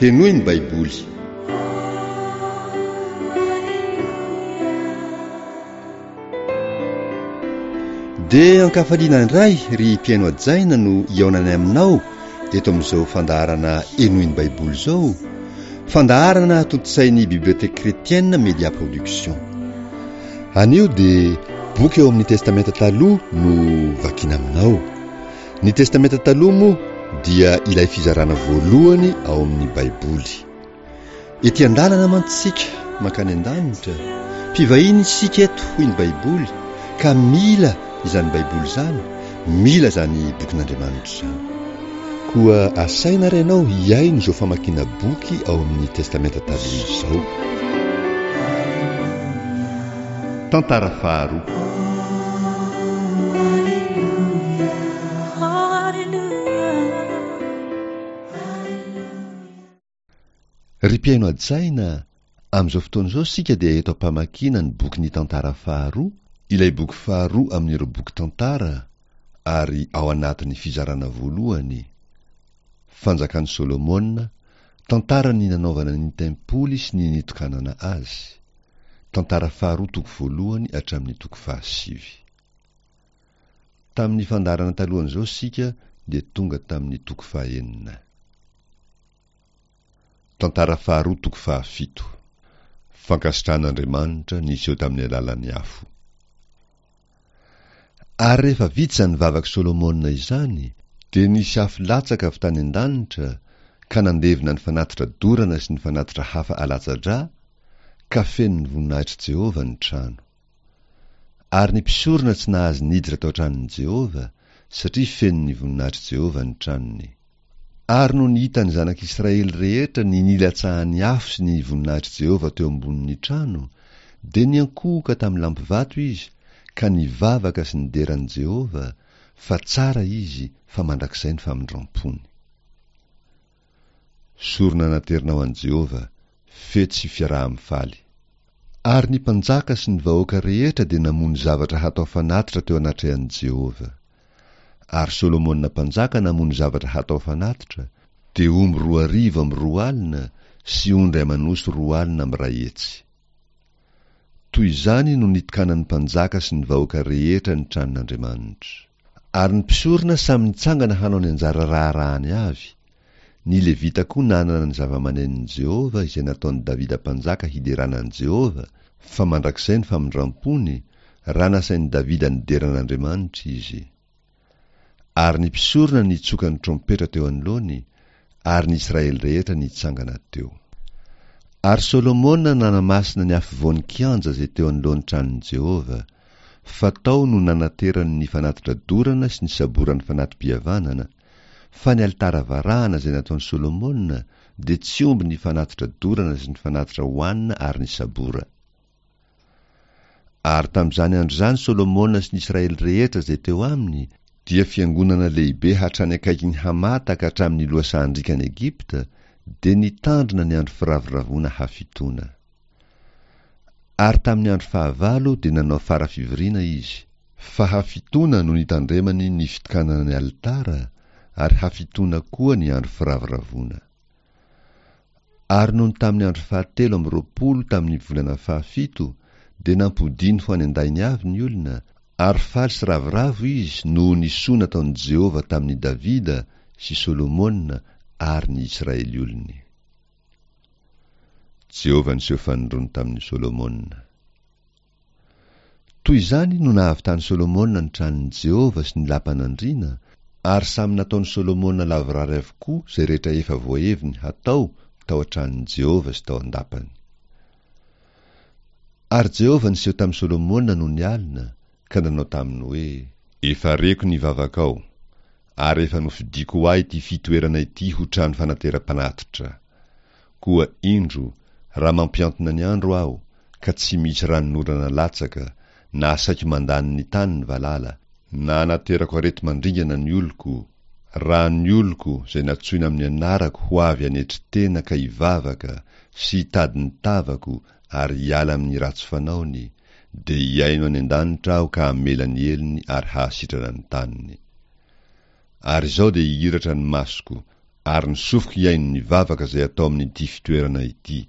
Henoy ny Baiboly. Dia ankafaliana indray ry mpihaino hajaina no hihaonanay aminao eto amin'izao fandaharana Henoy ny Baiboly izao, fandaharana tontosain'ny Bibliothèque Chrétienne Média Production. Anio dia boky ao amin'ny Testamenta Taloha no vakiana aminao. Ny Testamenta Taloha moa dia ilay fizarana voalohany ao amin'ny Baiboly. Ety an-dalana mantsy isika mankany an-danitra, mpivahiny isika eto hoy ny Baiboly ka mila izany Baiboly izany, mila izany bokin'Andriamanitra izany. Koa asaina ary ianao hihaino izao famakiana boky ao amin'ny Testamenta Taloha izao. Tantara faharoa. Ry mpihaino hajaina, amin'izao fotoana izao isika dia eto am-pamakiana ny bokin'ny Tantara faharoa, ilay boky faharoa amin'ireo boky tantara ary ao anatin'ny fizarana voalohany, Fanjakan'i Solomona, tantaran'ny nanaovana ny tempoly sy ny nitokanana azy, Tantara faharoa toko voalohany hatramin'ny toko fahasivy. Tamin'ny fandaharana talohan'izao isika dia tonga tamin'ny toko fahenina. Tantara faharoa toko fahafito. Fankasitrahan'Andriamanitra niseho tamin'ny alalan'ny afo. Ary rehefa vita izany vavak'i Solomona izany, dia nisy afo latsaka avy tany an-danitra ka nandevona ny fanatitra dorana sy ny fanatitra hafa alatsa-drà, ka feno ny voninahitr'i Jehovah ny trano. Ary ny mpisorona tsy nahazo niditra tao an-tranon'i Jehovah, satria feno ny voninahitr'i Jehovah ny tranony. Ary nony hitan'ny zanak'Israely rehetra ny nilatsahan'ny afo sy ny voninahitr'i Jehovah teo ambonin'ny trano, dia niankohoka tamin'ny lampivato izy ka nivavaka sy nidera an'i Jehovah, fa tsara izy fa mandrakizay ny famindram-pony. Sorona naterina ho an'i Jehovah, fety sy fiaraha-mifaly. Ary ny mpanjaka sy ny vahoaka rehetra dia namono zavatra hatao fanatitra teo anatrehan'i Jehovah. Ary Solomona mpanjaka namono zavatra hatao fanatitra, dia omby 200 amby 20 sy ondry aman'osy 20 amby 100. Toy izany no nitokanan'ny mpanjaka sy ny vahoaka rehetra ny tranon'Andriamanitra. Ary ny mpisorona samy nitsangana hanao ny anjara raharahany avy, ny Levita koa nanana ny zava-manenon'i Jehovah izay nataon'i Davida mpanjaka hiderana an'i Jehovah, fa mandrakizay ny famindram-pony, raha nasain'i Davida nidera an'Andriamanitra izy. Ary ny mpisorona nitsoka ny trompetra teo anoloany, ary ny Israely rehetra nitsangana teo. Ary Solomona nanamasina ny afovoan'ny kianja izay teo anoloan'ny tranon'i Jehovah, fa tao no nanaterany ny fanatitra dorana sy ny saboran'ny fanati-pihavanana, fa ny alitara varahana izay nataon'i Solomona dia tsy omby ny fanatitra dorana sy ny fanatitra hohanina ary ny sabora. Ary tamin'izany andro izany Solomona sy ny Israely rehetra izay teo aminy dia fiangonana lehibe hatrany akaikin'i Hamata ka hatramin'ny lohasahan-driakan'i Egypta, dia nitandrina ny andro firavoravoana hafitoana. Ary tamin'ny andro fahavalo dia nanao fara fivoriana izy, fa hafitoana no nitandremany ny fitokanana ny alitara, ary hafitoana koa ny andro firavoravoana. Ary nony tamin'ny andro fahatelo amby 20 tamin'ny volana fahafito, dia nampodiany ho any an-dainy avy ny olona, ary faly sy ravoravo izy noho ny soa nataon'i Jehovah tamin'i Davida sy Solomona ary ny Israely olony. Jehovah niseho fanindroany tamin'i Solomona. Toy izany no nahavitan'i Solomona ny tranon'i Jehovah sy ny lapan'andriana, ary samy nataon'i Solomona lavorary avokoa izay rehetra efa voaheviny hatao tao an-tranon'i Jehovah sy tao an-dapany. Ary Jehovah niseho tamin'i Solomona nony alina, ka nanao taminy hoe, Efa reko ny vavakao, ary efa nofidiko ho ahy ity fitoerana ity ho trano fanateram-panatitra. Koa indro, raha mampihantona ny andro Aho, ka tsy misy ranonorana latsaka, na asaiko mandany ny tany ny valala, na anaterako areti-mandringana ny oloko, raha ny oloko izay natsoina amin'ny anarako ho avy hanetry tena ka hivavaka sy hitady ny tavako ary hiala amin'ny ratsy fanaony, dia hihaino any an-danitra Aho ka hamela ny helony ary hahasitrana ny taniny. Ary izao dia hihiratra ny masoko. Ary ny sofiko hihaino ny vavaka izay atao amin'ity fitoerana ity.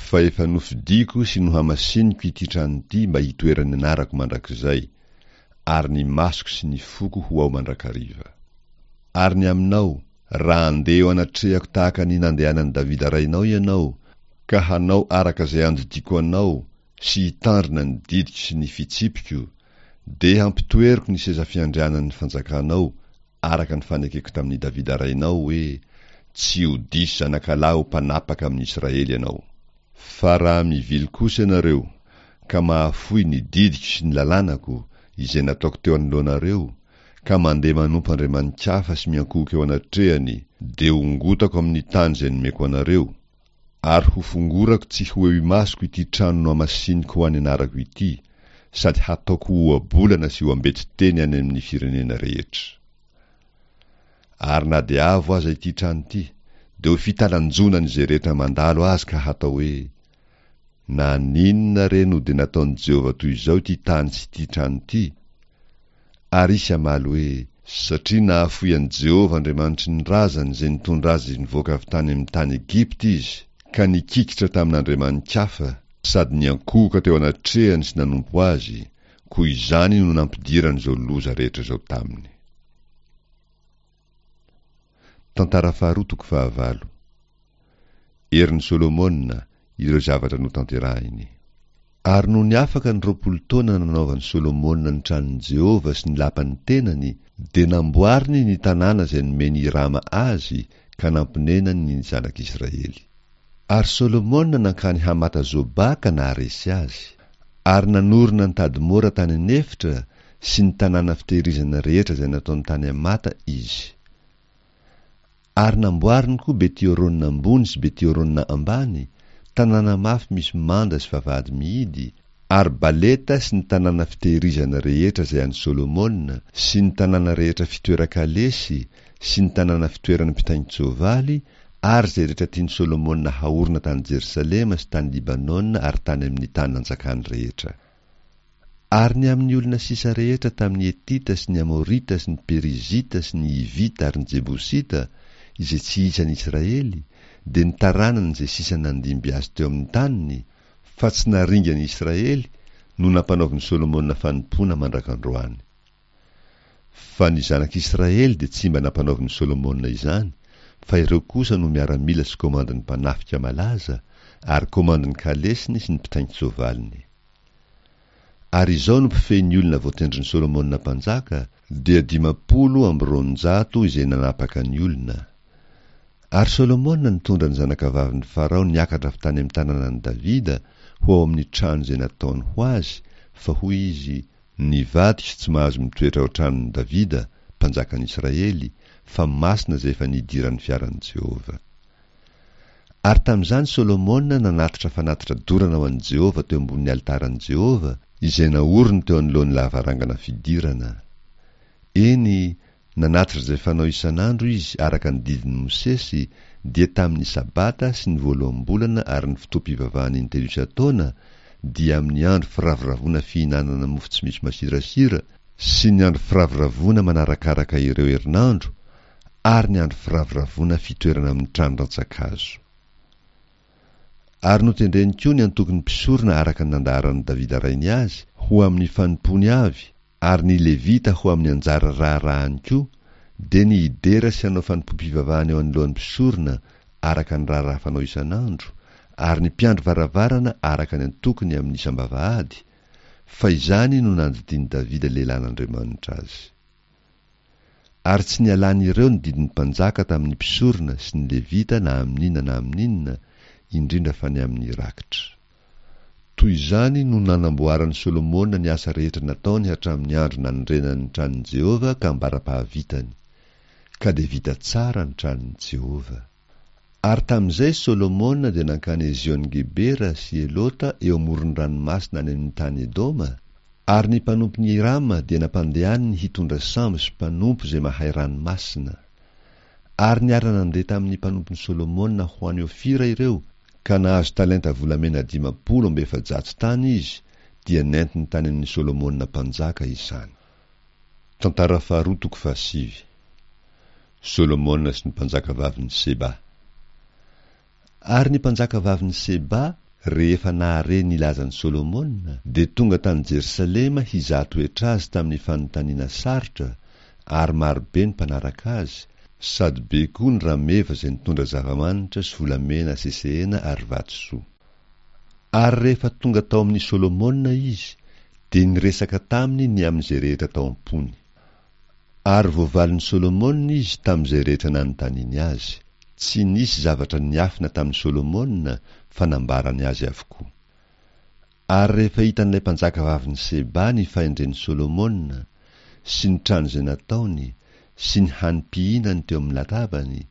Fa efa nofidiko sy nohamasiniko ity trano ity mba hitoeran'ny anarako mandrakizay, ary ny masoko sy ny foko ho ao mandrakariva. Ary ny aminao, raha handeha eo anatrehako tahaka ny nandehanan'i Davida rainao ianao, ka hanao araka izay andidiako anao sy hitandrina ny didiko sy ny fitsipiko, dia hampitoeriko ny seza fiandrianan'ny fanjakanao araka ny fanekeko tamin'i Davida rainao hoe, Tsy ho diso zanakalahy ho mpanapaka amin'i Israely ianao. Fa raha mivily kosa ianareo, ka mahafoy ny didiko sy ny lalànako, izay nataoko teo anoloanareo, ka mandeha manompo andriamani-kafa sy miankohoka eo anatrehany, dia hongotako amin'ny tany izay nomeko anareo, Ary hofongorako tsy ho eo imasoko ity trano nohamasiniko ho an'ny anarako ity, sady hataoko ho ohabolana sy ho ambetiteny any amin'ny firenena rehetra. Ary na dia avo aza ity trano ity, dia ho fitalanjonan'izay rehetra mandalo azy ka hatao hoe, Naninona re no dia nataon'i Jehovah toy izao ity tany sy ity trano ity? Ary hisy hamaly hoe, Satria nahafoy an'i Jehovah Andriamanitry ny razany izay nitondra azy nivoaka avy tany amin'ny tany Egypta izy, ka nikikitra tamin'andriamani-kafa, sady niankohoka teo anatrehany sy nanompo azy, koa izany no nampidirany izao loza rehetra izao taminy. Tantara faharoa toko fahavalo. Herin'i Solomona, ireo zavatra notanterahiny. Ary nony afaka ny 20 taona nanaovan'i Solomona ny tranon'i Jehovah sy ny lapan'ny tenany, dia namboariny ny tanàna izay nomen'i Hirama azy ka namponenany ny zanak'Israely. Ary Solomona nankany Hamata-Zobà ka naharesy azy. Ary nanorina an'i Tadmora tany an'efitra sy ny tanàna fitehirizana rehetra izay nataony tany Hamata izy. Ary namboariny koa Beti-Horona ambony sy Beti-Horona ambany, tanàna mafy misy manda sy vavahady mihidy, ary Baleta sy ny tanàna fitehirizana rehetra izay an'i Solomona, sy ny tanàna rehetra fitoeran-kalesy, sy ny tanàna fitoeran'ny mpitaingin-tsoavaly, ary izay rehetra tian'i Solomona haorina tany Jerosalema sy tany Libanona ary tany amin'ny tany nanjakany rehetra. Ary ny amin'ny olona sisa rehetra tamin'ny Hetita sy ny Amorita sy ny Perizita sy ny Hivita ary ny Jebosita, izay tsy isan'ny Israely, dia ny taranany izay sisa nandimby azy teo amin'ny taniny, fa tsy naringan'ny Israely, no nampanaovin'i Solomona fanompoana mandrak'androany. Fa ny zanak'Israely dia tsy mba nampanaovin'i Solomona izany, fa ireo kosa no miaramila sy komandin'ny mpanafika malaza, ary komandin'ny kalesiny sy ny mpitaingin-tsoavaliny. Ary izao no mpifehy ny olona voatendrin'i Solomona mpanjaka, dia 250 izay nanapaka ny olona. Ary Solomona nitondra ny zanakavavin'i Farao niakatra avy tany amin'ny tanànan'i Davida ho ao amin'ny trano izay nataony ho azy, fa hoy izy, Ny vadiko tsy mahazo mitoetra ao an-tranon'i Davida, mpanjakan'i Israely, fa masina izay efa nidiran'ny fiaran'i Jehovah. Ary tamin'izany Solomona nanatitra fanatitra dorana ho an'i Jehovah teo ambonin'ny alitaran'i Jehovah, izay naoriny teo anoloan'ny lavarangana fidirana. Eny, nanatitra izay fanao isan'andro izy araka ny didin'i Mosesy, dia tamin'ny Sabata sy ny voaloham-bolana ary ny fotoam-pivavahana intelo isan-taona, dia amin'ny andro firavoravoana fihinanana mofo tsy misy masirasira, sy ny andro firavoravoana manarakaraka ireo herinandro, ary ny andro firavoravoana fitoerana amin'ny trano rantsan-kazo. Ary notendreny koa ny antokon'ny mpisorona araka ny nandaharan'i Davida rainy azy, ho amin'ny fanompoany avy, ary ny Levita ho amin'ny anjara raharahany koa, dia ny hidera sy hanao fanompoam-pivavahana eo anoloan'ny mpisorona araka ny raharaha fanao isan'andro, ary ny mpiandry varavarana araka ny antokony amin'ny isam-bavahady, fa izany no nandidian'i Davida lehilahin'Andriamanitra azy. Ary tsy nialan'ireo ny didin'ny mpanjaka tamin'ny mpisorona sy ny Levita na amin'inona na amin'inona, indrindra fa ny amin'ny rakitra. Toy izany no nanamboaran'i Solomona ny asa rehetra nataony hatramin'ny andro nanorenany ny tranon'i Jehovah ka ambara-pahavitany. Ka dia vita tsara ny tranon'i Jehovah. Ary tamin'izay Solomona dia nankany Ezion-gebera sy Elota eo amoron'ny ranomasina any amin'ny tany Edoma, ary ny mpanompon'i Hirama dia nampandehaniny hitondra sambo sy mpanompo izay mahay ranomasina. Ary niara-nandeha tamin'ny mpanompon'i Solomona ho any Ofira ireo, ka nahazo talenta volamena 450 tany izy, dia nentiny tany amin'i Solomona mpanjaka izany. Tantara faharoa toko fahasivy. Solomona sy ny mpanjakavavin'i Seba. Ary ny mpanjakavavin'i Seba, rehefa nahare ny lazan'i Solomona, dia tonga tany Jerosalema hizaha toetra azy tamin'ny fanontaniana sarotra, ary marobe ny mpanaraka azy, sady be koa ny rameva izay nitondra zava-manitra sy volamena sesehena ary vatosoa. Ary rehefa tonga tao amin'i Solomona izy, dia niresaka taminy ny amin'izay rehetra tao am-pony. Ary voavalin'i Solomona izy tamin'izay rehetra nanontaniany azy. Tsy nisy zavatra niafina tamin'i Solomona fa nambarany azy avokoa. Ary rehefa hitan'ilay mpanjakavavin'i Seba ny fahendren'i Solomona, sy ny trano izay nataony, sy ny hanim-pihinany teo amin'ny latabany,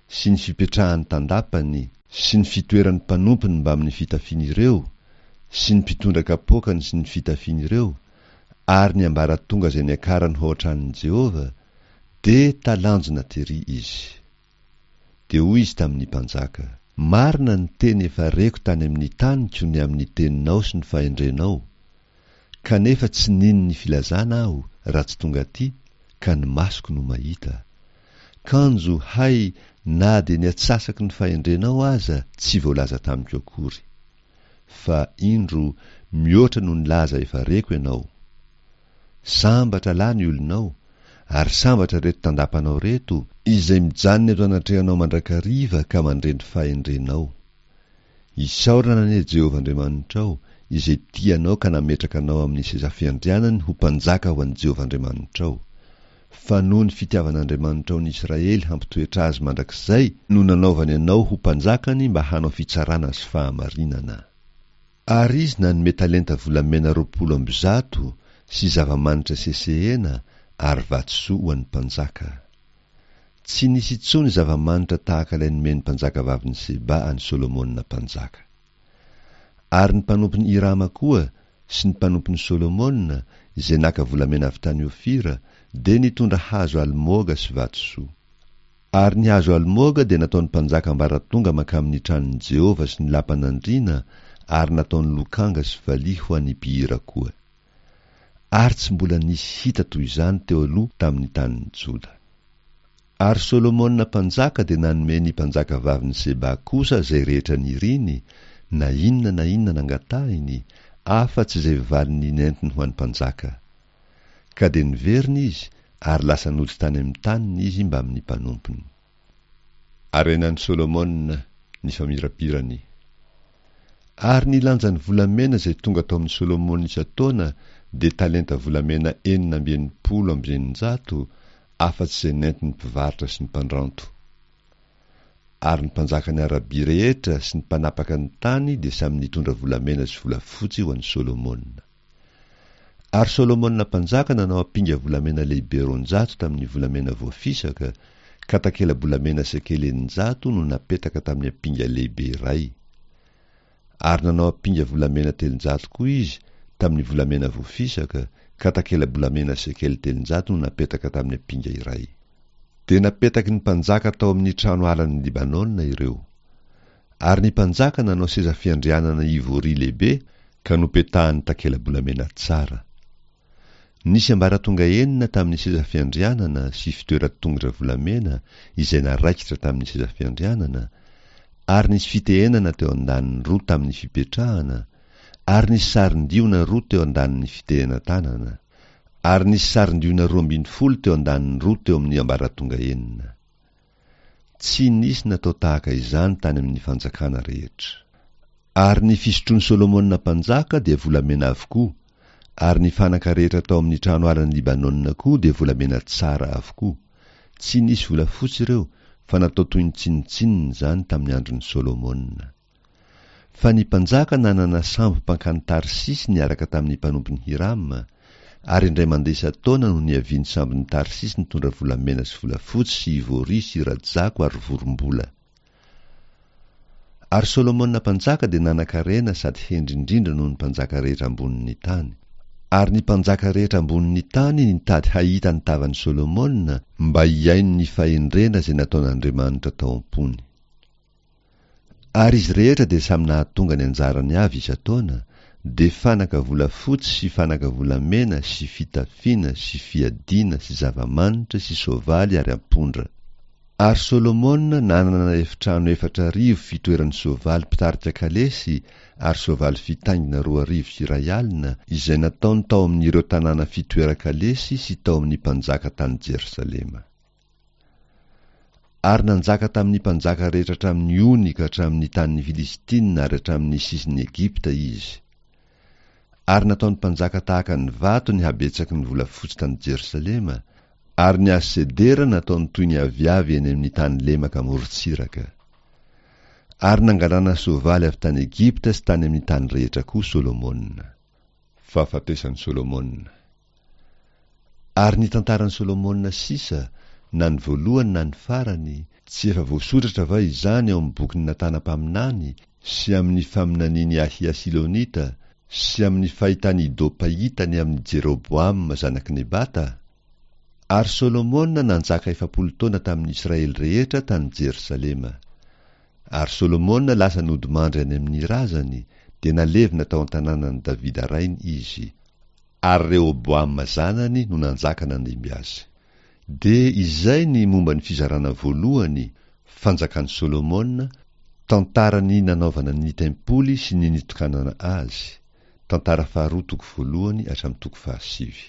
sy ny fipetrahany tandapany, sy ny fitoeran'ny mpanompony mbamin'ny fitafian'ireo, sy ny mpitondra kapoakany sy ny fitafian'ireo, ary ny ambaratonga izay niakarany ho ao an-tranon'i Jehovah, dia talanjona terỳ izy. Dia hoy izy tamin'ny mpanjaka, Marina ny teny efa reko tany amin'ny taniko ny amin'ny teninao sy ny fahendrenao, kanefa tsy nino ny filazana aho raha tsy tonga atỳ, ka ny masoko no mahita. Kanjo, hay, na dia ny atsasaky ny fahendrenao aza tsy voalaza tamiko akory. Fa, indro, mihoatra noho ny laza efa reko ianao. Sambatra lahy ny olonao, ary sambatra ireto tandapanao ireto, izay mijanona eto anatrehanao mandrakariva ka mandre ny fahendrenao. Isaorana anie Jehovah Andriamanitrao, izay tia anao ka nametraka anao amin'ny seza fiandrianany ho mpanjaka ho an'i Jehovah Andriamanitrao. Fa noho ny fitiavan'Andriamanitrao ny Israely hampitoetra azy mandrakizay no nanaovany anao ho mpanjakany mba hanao fitsarana sy fahamarinana. Ary izy nanome talenta volamena 120 sy zava-manitra sesehena ary vatosoa ho an'ny mpanjaka. Tsy nisy intsony zava-manitra tahaka ilay nomen'ny mpanjakavavin'i Seba an'i Solomona mpanjaka. Ary ny mpanompon'i Hirama koa sy ny mpanompon'i Solomona, izay naka volamena avy tany Ofira, dia nitondra hazo almoga sy vatosoa. Ary ny hazo almoga dia nataon'ny mpanjaka ambaratonga mankamin'ny tranon'i Jehovah sy ny lapan'andriana ary nataony lokanga sy valiha ho an'ny mpihira koa. Ary tsy mbola nisy hita toy izany teo aloha tamin'ny tanin'i Joda. Ary Solomona mpanjaka dia nanome ny mpanjakavavin'i Seba kosa izay rehetra niriny, na inona na inona nangatahiny, afa-tsy izay valiny nentiny ho an'ny mpanjaka. Ka dia niverina izy ary lasa nody tany amin'ny taniny izy mbamin'ny mpanompony. Harenan'i Solomona ny famirapirany. Ary ny lanjan'ny volamena izay tonga tao amin'i Solomona isan-taona dia talenta volamena 666, afa-tsy izay nentin'ny mpivarotra sy ny mpandranto. Ary ny mpanjakan'i Arabia rehetra sy ny mpanapaka ny tany dia samy nitondra volamena sy volafotsy ho an'i Solomona. Ary Solomona mpanjaka nanao ampinga volamena lehibe 200 tamin'ny volamena voafisaka, ka takela-bolamena sekely 600 no napetaka tamin'ny ampinga lehibe iray. Ary nanao ampinga volamena 300 koa izy tamin'ny volamena voafisaka, ka takela-bolamena sekely 300 no napetaka tamin'ny ampinga iray. Dia napetaky ny mpanjaka tao amin'ny trano alan'i Libanona ireo. Ary ny mpanjaka nanao seza fiandrianana ivory lehibe ka nopetahany takela-bolamena tsara. Nisy ambaratonga enina tamin'ny seza fiandrianana sy fitoeran-tongotra volamena izay naraikitra tamin'ny seza fiandrianana, ary nisy fitehenana teo an-daniny roa tamin'ny fipetrahana, ary nisy sarin-diona roa teo an-danin'ny fitehenan-tanana, ary nisy sarin-diona 12 teo an-daniny roa teo amin'ny ambaratonga enina. Tsy nisy natao tahaka izany tany amin'ny fanjakana rehetra. Ary ny fisotroan'i Solomona mpanjaka dia volamena avokoa, ary ny fanaka rehetra tao amin'ny trano alan'i Libanona koa dia volamena tsara avokoa. Tsy nisy volafotsy ireo, fa natao toy ny tsinontsinona izany tamin'ny andron'i Solomona. Fa ny mpanjaka nanana sambo mpankany Tarsisy niaraka tamin'ny mpanompon'i Hirama, ary indray mandeha isan-taona no niavian'ny sambon'i Tarsisy nitondra volamena sy volafotsy sy ivory sy rajako ary vorombola. Ary Solomona mpanjaka dia nanan-karena sady hendry indrindra noho ny mpanjaka rehetra ambonin'ny tany. Ary ny mpanjaka rehetra ambonin'ny tany nitady hahita ny tavan'i Solomona mba hihaino ny fahendrena izay nataon'Andriamanitra tao am-pony. Ary izy rehetra dia samy nahatonga ny anjarany avy isan-taona, dia fanaka volafotsy sy fanaka volamena sy fitafiana sy fiadiana sy zava-manitra sy soavaly ary ampondra. Ary Solomona nanana efitrano 4000 fitoeran'ny soavaly mpitarika kalesy ary soavaly fitaingina 2002, izay nataony tao amin'ireo tanàna fitoeran-kalesy sy tao amin'ny mpanjaka tany Jerosalema. Ary nanjaka tamin'ny mpanjaka rehetra hatramin'ny ony ka hatramin'ny tanin'ny Filistina ary hatramin'ny sisin'i Egypta izy. Ary nataony mpanjaka tahaka ny vato ny habetsaky ny volafotsy tany Jerosalema, ary ny hazo sedera nataony toy ny aviavy eny amin'ny tany lemaka amorontsiraka. Ary nangalana soavaly avy tany Egypta sy tany amin'ny tany rehetra koa Solomona. Fahafatesan'i Solomona. Ary ny tantaran'i Solomona sisa, na ny voalohany na ny farany, tsy efa voasoratra va izany ao amin'ny bokin'i Natana mpaminany, sy amin'ny faminanian'i Ahia Silonita, sy amin'ny fahitan'i Ido mpahita ny amin'i Jeroboama zanak'i Nebata? Ary Solomona nanjaka 40 taona tamin'ny Israely rehetra tany Jerosalema. Ary Solomona lasa nodimandry any amin'ny razany, dia nalevina tao an-tanànan'i Davida rainy izy. Ary Rehoboama zanany no nanjaka nandimby azy. Dia izay ny momba ny fizarana voalohany, Fanjakan'i Solomona, tantaran'ny nanaovana ny tempoly sy ny nitokanana azy, tantara faharoa toko voalohany hatramin'ny toko fahasivy.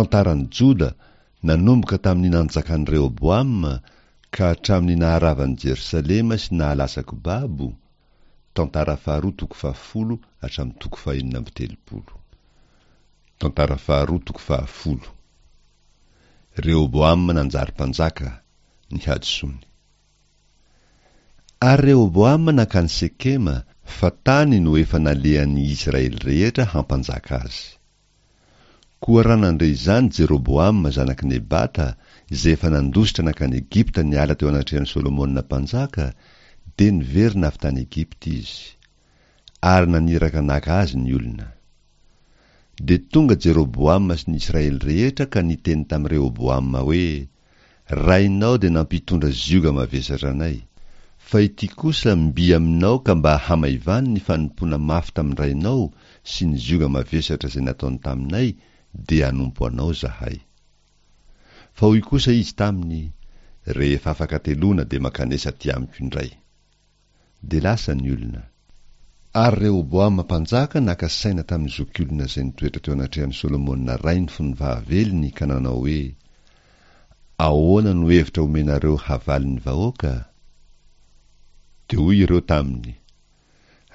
Tantaran'i Joda nanomboka tamin'ny nanjakan'i Rehoboama ka hatramin'ny naharavan'i Jerosalema sy nahalasa-ko babo, Tantara faharoa toko fahafolo hatramin'ny toko fahenina amby telopolo. Tantara faharoa toko fahafolo. Rehoboama nanjary mpanjaka, ny hadisoany. Ary Rehoboama nankany Sekema, fa tany no efa nalehan'ny Israely rehetra hampanjaka azy. Koa raha nandre izany Jeroboama zanak'i Nebata, izay efa nandositra nankany Egypta niala teo anatrehan'i Solomona mpanjaka, dia niverina avy tany Egypta izy. Ary naniraka naka azy ny olona. Dia tonga Jeroboama sy ny Israely rehetra ka niteny tamin'i Rehoboama hoe, Rainao dia nampitondra zioga mavesatra anay. Fa ity kosa mby aminao ka mba hamaivano ny fanompoana mafy tamin-drainao sy ny zioga mavesatra izay nataony taminay, dia hanompo anao izahay. Fa hoy kosa izy taminy, Rehefa afaka hateloana dia mankanesa aty amiko indray. Dia lasa ny olona. Ary Rehoboama mpanjaka naka saina tamin'ny zokiolona izay nitoetra teo anatrehan'i Solomona rainy fony fahavelony ka nanao hoe, Ahoana no hevitra omenareo havaly ny vahoaka? Dia hoy ireo taminy,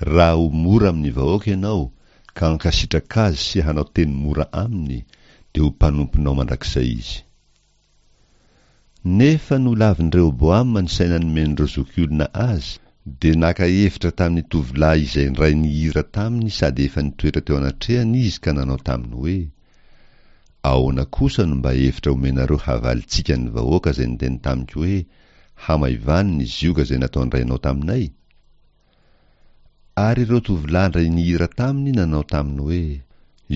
Raha ho mora amin'ny vahoaka ianao, ka hankasitraka azy sy hanao teny mora aminy, dia ho mpanomponao mandrakizay izy. Nefa nolavin'i Rehoboama ny saina nomen'ireo zokiolona azy, dia naka hevitra tamin'ny tovolahy izay indray nihira taminy sady efa nitoetra teo anatrehany izy ka nanao taminy hoe, Ahoana kosa no mba hevitra omenareo havalintsika ny vahoaka izay niteny tamiko hoe, Hamaivano ny zioga izay nataon-drainao taminay? Ary ireo tovolahy indray nihira taminy nanao taminy hoe,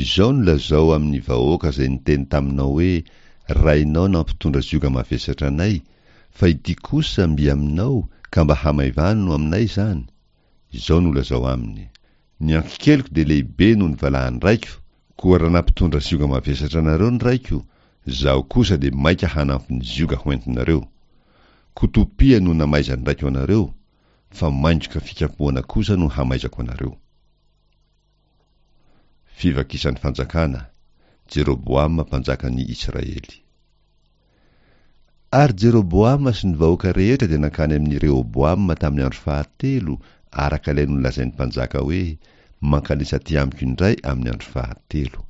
Izao no lazao amin'ny vahoaka izay niteny taminao hoe, Rainao nampitondra zioga mavesatra anay, fa ity kosa mby aminao, ka mba hamaivano no aminay izany? Izao no lazao aminy, Ny ankikeliko dia lehibe noho ny valahan-draiko, koa raha nampitondra zioga mavesatra anareo ny raiko, izaho kosa dia maika hanampy ny zioga hoentinareo. Kotopia no namaizan'ny raiko anareo, fa maingoka fikapohana kosa no hamaizako anareo. Fivakisan'ny fanjakana, Jeroboama mpanjakan'ny Israely. Ary Jeroboama sy ny vahoaka rehetra dia nankany amin'i Rehoboama tamin'ny andro fahatelo, araka ilay nolazain'ny mpanjaka hoe, Mankanesa aty amiko indray amin'ny andro fahatelo.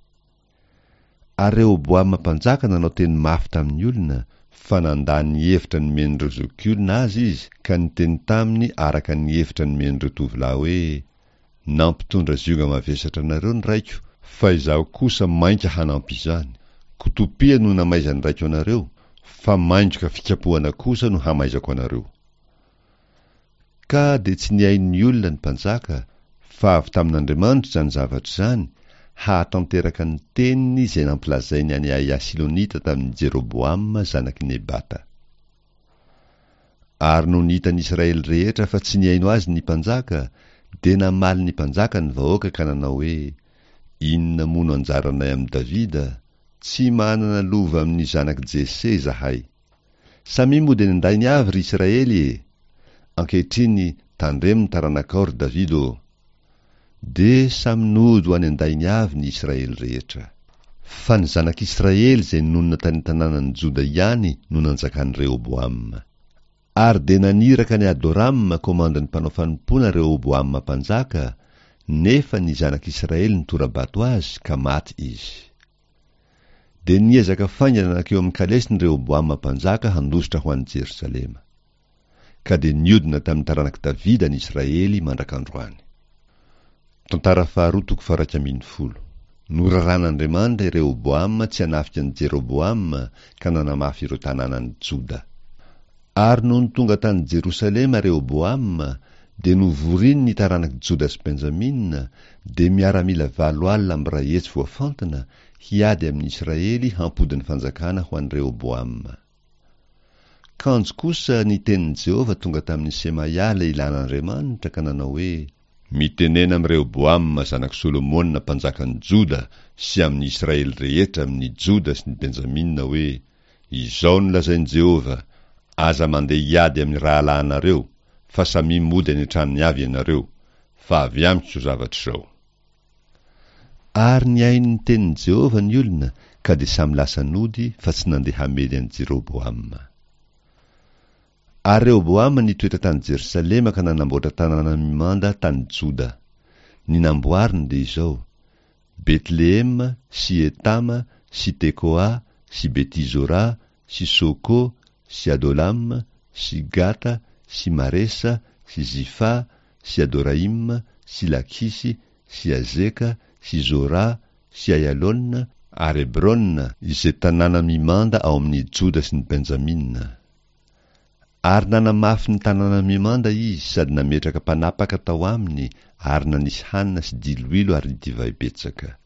Ary Rehoboama mpanjaka nanao teny mafy tamin'ny olona, fa nandà ny hevitra nomen'ireo zokiolona azy izy, ka niteny taminy araka ny hevitra nomen'ireo tovolahy hoe, Nampitondra zioga mavesatra anareo ny raiko, fa izaho kosa mainka hanampy izany. Kotopia no namaizan'ny raiko anareo, fa maingoka fikapohana kosa no hamaizako anareo. Ka dia tsy nihaino ny olona ny mpanjaka, fa avy tamin'Andriamanitra izany zavatra izany, hahatanteraka ny teniny izay nampilazainy an'i Ahia Silonita tamin'i Jeroboama zanak'i Nebata. Ary nony hitan'ny Israely rehetra fa tsy nihaino azy ny mpanjaka, dia namaly ny mpanjaka ny vahoaka ka nanao hoe, Inona moa no anjaranay amin'i Davida? Tsy manana lova amin'ny zanak'i Jese izahay. Samia mody any an-dainy avy, ry Israely e! Ankehitriny, tandremo ny taranakao, ry Davida ô! Dia samy nody ho any an-dainy avy ny Israely rehetra. Fa ny zanak'Israely izay nonina tany an-tanànan'i Joda ihany no nanjakan'i Rehoboama. Ary dia naniraka an'i Adorama komandin'ny mpanao fanompoana Rehoboama mpanjaka, nefa ny zanak'Israely nitora-bato azy, ka maty izy. Dia niezaka faingana nankeo amin'ny kalesiny Rehoboama mpanjaka handositra ho any Jerosalema. Ka dia niodina tamin'ny taranak'i Davida ny Israely mandrak'androany. Tantara faharoa toko faha-11. Noraran'Andriamanitra i Rehoboama tsy hanafika an'i Jeroboama ka nanamafy ireo tanànan'i Joda. Ary nony tonga tany Jerosalema Rehoboama, dia novoriny ny taranak'i Joda sy Benjamina, dia miaramila 180 voafantina, hiady amin'i Israely hampody ny fanjakana ho an'i Rehoboama. Kanjo kosa ny tenin'i Jehovah tonga tamin'i Semaia lehilahin'Andriamanitra ka nanao hoe, Mitenena amin'i Rehoboama zanak'i Solomona mpanjakan'i Joda sy amin'ny Israely rehetra amin'ny Joda sy ny Benjamina hoe, Izao no lazain'i Jehovah, Aza mandeha hiady amin'ny rahalahinareo, fa samia mody any an-tranony avy ianareo, fa avy amiko izao zavatra izao. Ary nihaino ny tenin'i Jehovah ny olona, ka dia samy lasa nody fa tsy nandeha hamely an'i Jeroboama. Ary Rehoboama nitoetra tany Jerosalema ka nanamboatra tanàna mimanda tany Joda. Ny namboariny dia izao, Betlehema sy Etama sy Tekoa sy Beti-zora sy Soko sy Adolama sy Gata sy Maresa sy Zifa sy Adoraima sy Lakisy sy Azeka sy Zora sy Aialona ary Hebrona, izay tanàna mimanda ao amin' i Joda sy ny Benjamina. Ary nanamafy ny tanàna mimanda izy sady nametraka mpanapaka tao aminy ary nanisy hanina sy diloilo ary divay betsaka.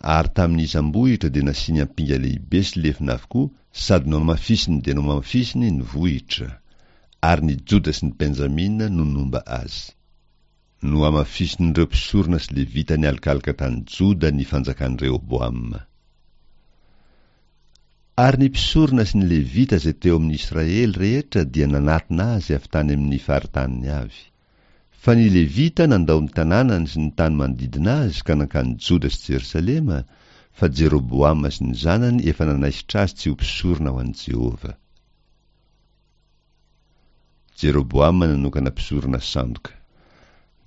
Ary tamin'ny isam-bohitra dia nasiany ampinga lehibe sy lefona avokoa sady nohamafisiny dia nohamafisiny ny vohitra. Ary ny Joda sy ny Benjamina no nomba azy. Nohamafisin'ireo mpisorona sy Levita nialokaloka tany Joda ny fanjakan'i Rehoboama. Ary ny mpisorona sy ny Levita izay teo amin'ny Israely rehetra dia nanatona azy avy tany amin'ny faritaniny avy. Fa ny Levita nandao ny tanànany sy ny tany manodidina azy ka nankany Joda sy Jerosalema, fa Jeroboama sy ny zanany efa nanaisotra azy tsy ho mpisorona ho an'i Jehovah. Jeroboama nanokana mpisorona sandoka.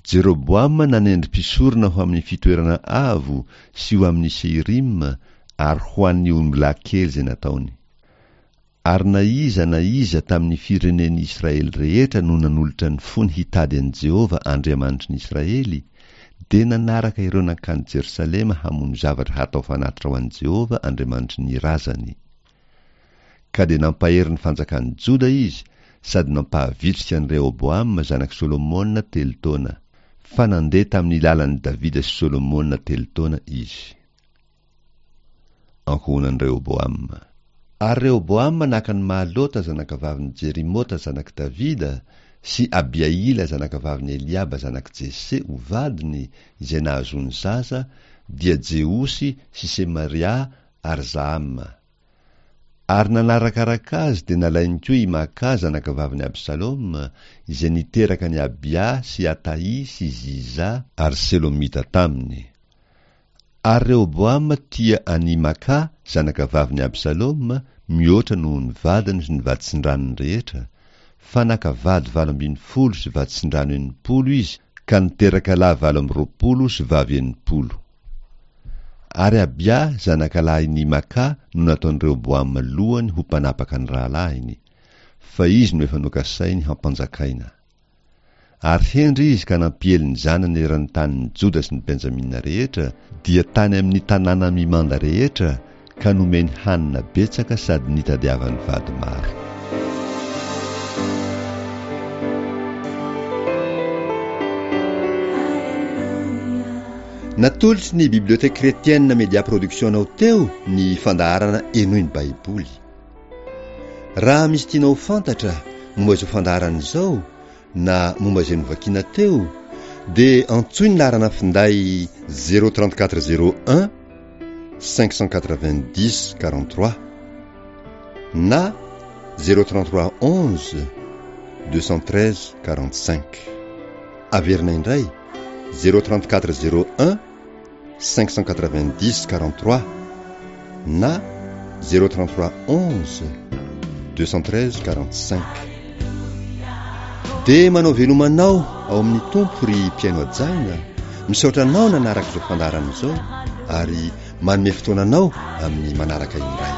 Jeroboama nanendry mpisorona ho amin'ny fitoerana avo sy ho amin'ny Seirima ary ho an'ny ombilahy kely izay nataony. Ary na iza na iza tamin'ny firenen'ny Israely rehetra no nanolotra ny fony hitady an'i Jehovah Andriamanitry ny Israely, dia nanaraka ireo nankany Jerosalema hamono zavatra hatao fanatitra ho an'i Jehovah Andriamanitry ny razany. Ka dia nampahery ny fanjakan'i Joda izy sady nampahavitrika an'i Rehoboama zanak'i Solomona telo taona, fa nandeha tamin'ny lalan'i Davida sy Solomona telo taona izy. Ankohonan'i Rehoboama. Ary Rehoboama naka an'i Mahalota zanakavavin'i Jerimota zanak'i Davida sy Abihaila zanakavavin'i Eliaba zanak'i Jese ho vadiny, izay nahazoany zaza, dia Jeosy sy Semaria ary Zahama. Ary nanarakaraka azy dia nalainy koa i Maka zanakavavin'i Absaloma, izay niteraka an'i Abia sy Atahy sy Ziza ary Selomita taminy. Ary Rehoboama tia an'i Maka zanakavavin'i Absaloma mihoatra noho ny vadiny sy ny vaditsindranony rehetra, fa naka vady 18 sy vaditsindrano 60 izy ka niteraka lahy 28 sy vavy 60. Ary Abia zanakalahin'i Maka no nataon'i Rehoboama lohany ho mpanapaka ny rahalahiny, fa izy no efa nokasainy hampanjakaina. Ary hendry izy ka nampiely ny zanany eran'ny tanin'i Joda sy ny Benjamina rehetra, dia tany amin'ny tanàna mimanda rehetra, ka nomeny hanina betsaka sady nitadiavany vady maro. Natolotry ny Bibliothèque Chrétienne Media Production anao teo ny fandaharana Henoy ny Baiboly. Raha misy tianao ho fantatra momba izao fandaharana izao na momba izay novakiana teo dia antsoy ny laharana finday 034 01 590 43 na 033 11 213 45. Averina indray 034 01 590 43 na 033 11 213 45. Dia manao veloma anao ao amin'ny Tompo ry mpihaino hajaina, misaotra anao nanaraka izao fandaharana izao ary manome fotoana anao amin'ny manaraka indray.